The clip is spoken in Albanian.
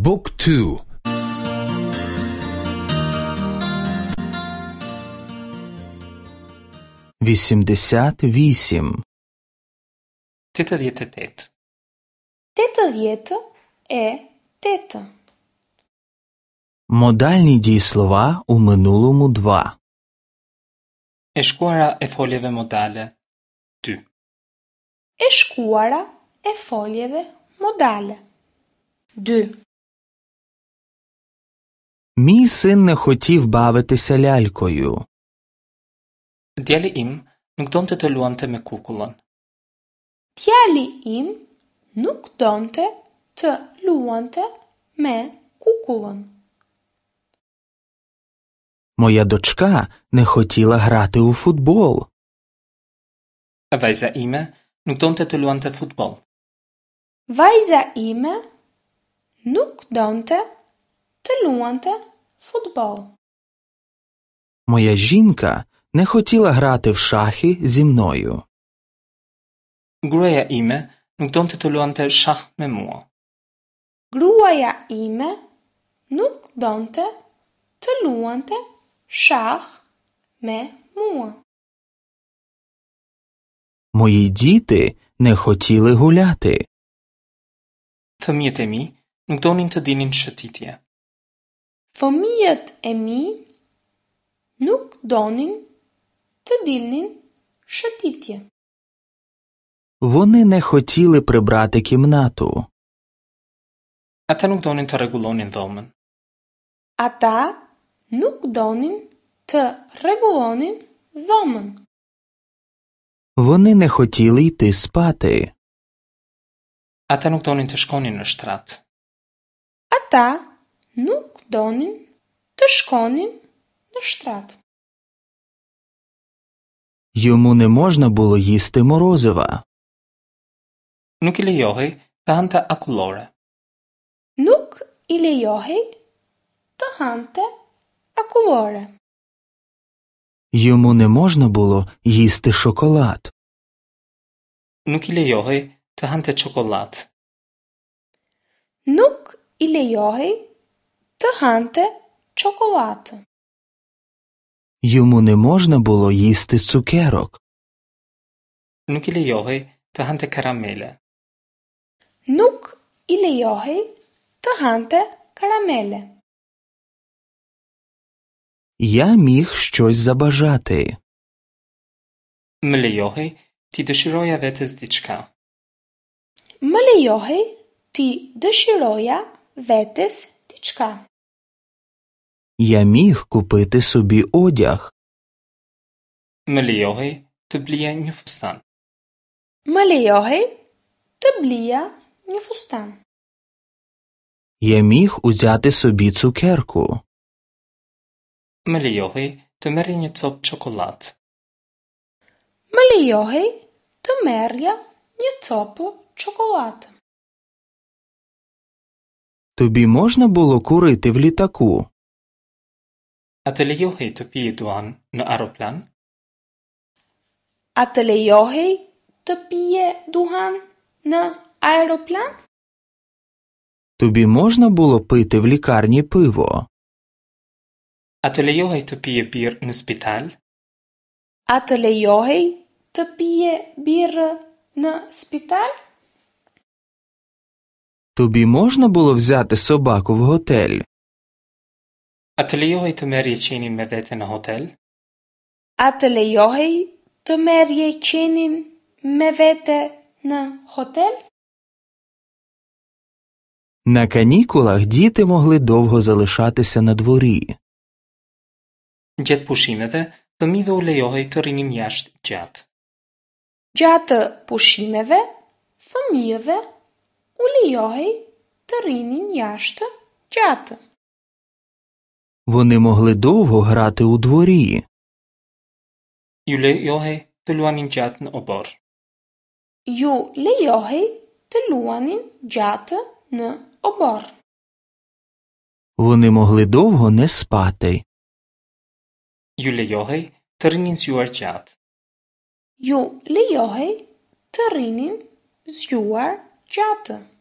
บุ๊กทู 88. 88. 88. Модальні дієслова у минулому 2. E shkuara e foljeve modale 2. E shkuara e foljeve modale. 2. Мій син не хотів бавитися лялькою. Djali im nuk donte të luante me kukullën. Djali im nuk donte të luante me kukullën. Моя дочка не хотіла грати у футбол. Vajza ime nuk donte të luante futboll. Vajza ime nuk donte të luante futboll. Моя жінка не хотіла грати в шахи зі мною. Gruaja ime nuk donte të luante shah me mua. Gruaja ime nuk donte të luante shah me mua. Мої діти не хотіли гуляти. Fëmijët e mi nuk donin të dilnin shëtitje. Fëmijët e mi nuk donin të dilnin shëtitje. Вони не хотіли прибрати кімнату. Ata nuk donin të rregullonin dhomën. Ata nuk donin të rregullonin dhomën. Вони не хотіли йти спати. Ata nuk donin të shkonin në shtrat. Ata nuk donin të shkonin në shtrat. Йому не можна було їсти морозива. Nuk i lejohej të hante akullore. Nuk i lejohej të hante akullore. Йому не можна було їсти шоколад. Nuk i lejohej të hante çokollatë. Nuk i lejohej të hante çokollatë. Йому не можна було їсти цукерок. Nuk i lejohej të hante karamele. Nuk i lejohej të hante karamele. Я міг щось забажати. Më lejohej t'i dëshiroja vetes diçka. Më lejohej t'i dëshiroja vetes diçka. Я міг купити собі одяг. Më lejohej të blija një fustan. Më lejohej të blija një fustan. Я міг узяти собі цукерку. Më lejohej të merrja një copë çokollatë. Më lejohej të merrja një copë çokollatë. Тобі можна було курити в літаку? A të lejohej të pije duhan në aeroplan? A të lejohej të pije duhan në aeroplan? Тобі можна було пити в лікарні пиво? A të lejohej të pije birrë në spital? A të lejohej të pije birrë në spital? Тобі можна було взяти собаку в готель? A të lejohej të merrje qenin me vete në hotel? A të lejohej të merrje qenin me vete në hotel? На канікулах діти могли довго залишатися на дворі. Gjatë pushimeve, fëmijëve u lejohej të rrinin jashtë gjatë. Gjatë pushimeve, fëmijëve u lejohej të rrinin jashtë gjatë. Вони могли довго грати у дворі. Ju lejohej të luanin gjatë në oborr. Ju lejohej të luanin gjatë në oborr. Вони могли довго не спати. Ju lejohej të rrinin zgjuar gjatë. Ju lejohej të rrinin zgjuar gjatë.